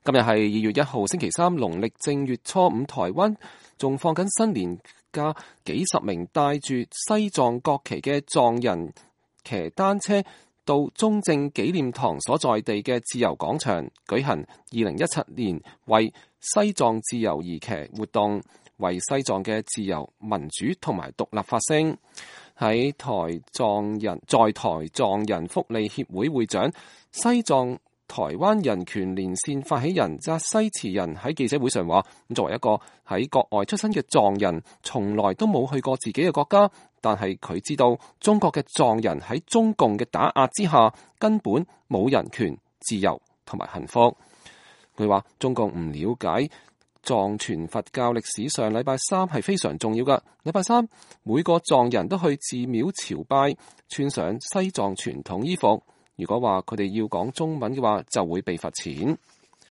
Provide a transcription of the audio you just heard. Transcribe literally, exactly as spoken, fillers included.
今日係二月一號星期三，農曆正月初五，台灣仲放緊新年假，幾十名帶住西藏國旗嘅藏人騎單車到中正紀念堂所在地嘅自由廣場舉行二零一七年為西藏自由而騎活動，為西藏嘅自由、民主同埋獨立發聲。喺台藏人在台藏人福利協會會長、西藏台灣人權連線發起人扎西慈人喺記者會上話：作為一個喺國外出生嘅藏人，從來都冇去過自己嘅國家，但係佢知道中國嘅藏人喺中共嘅打壓之下，根本冇人權、自由同埋幸福。佢話中共唔了解藏傳佛教歷史上禮拜三係非常重要㗎。禮拜三每個藏人都去寺廟朝拜，穿上西藏傳統衣服。如果話佢哋要講中文嘅話，就會被罰錢。